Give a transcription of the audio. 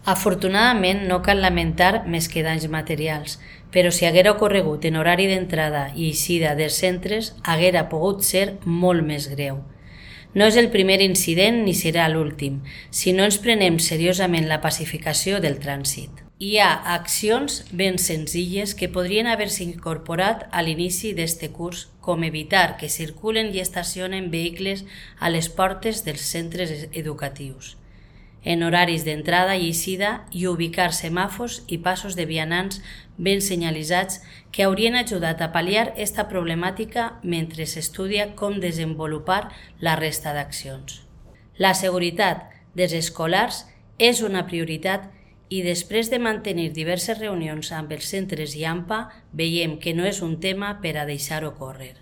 Afortunadament no cal lamentar més que danys materials, però si haguera ocorregut en horari d'entrada i eixida dels centres, haguera pogut ser molt més greu. No és el primer incident ni serà l'últim, si no ens prenem seriosament la pacificació del trànsit. Hi ha accions ben senzilles que podrien haver-se incorporat a l'inici d'este curs, com evitar que circulen i estacionen vehicles a les portes dels centres educatius, en horaris d'entrada i eixida, i ubicar semàfors i passos de vianants ben senyalitzats que haurien ajudat a pal·liar esta problemàtica mentre s'estudia com desenvolupar la resta d'accions. La seguretat dels escolars és una prioritat i després de mantenir diverses reunions amb els centres i AMPA veiem que no és un tema per a deixar-ho córrer.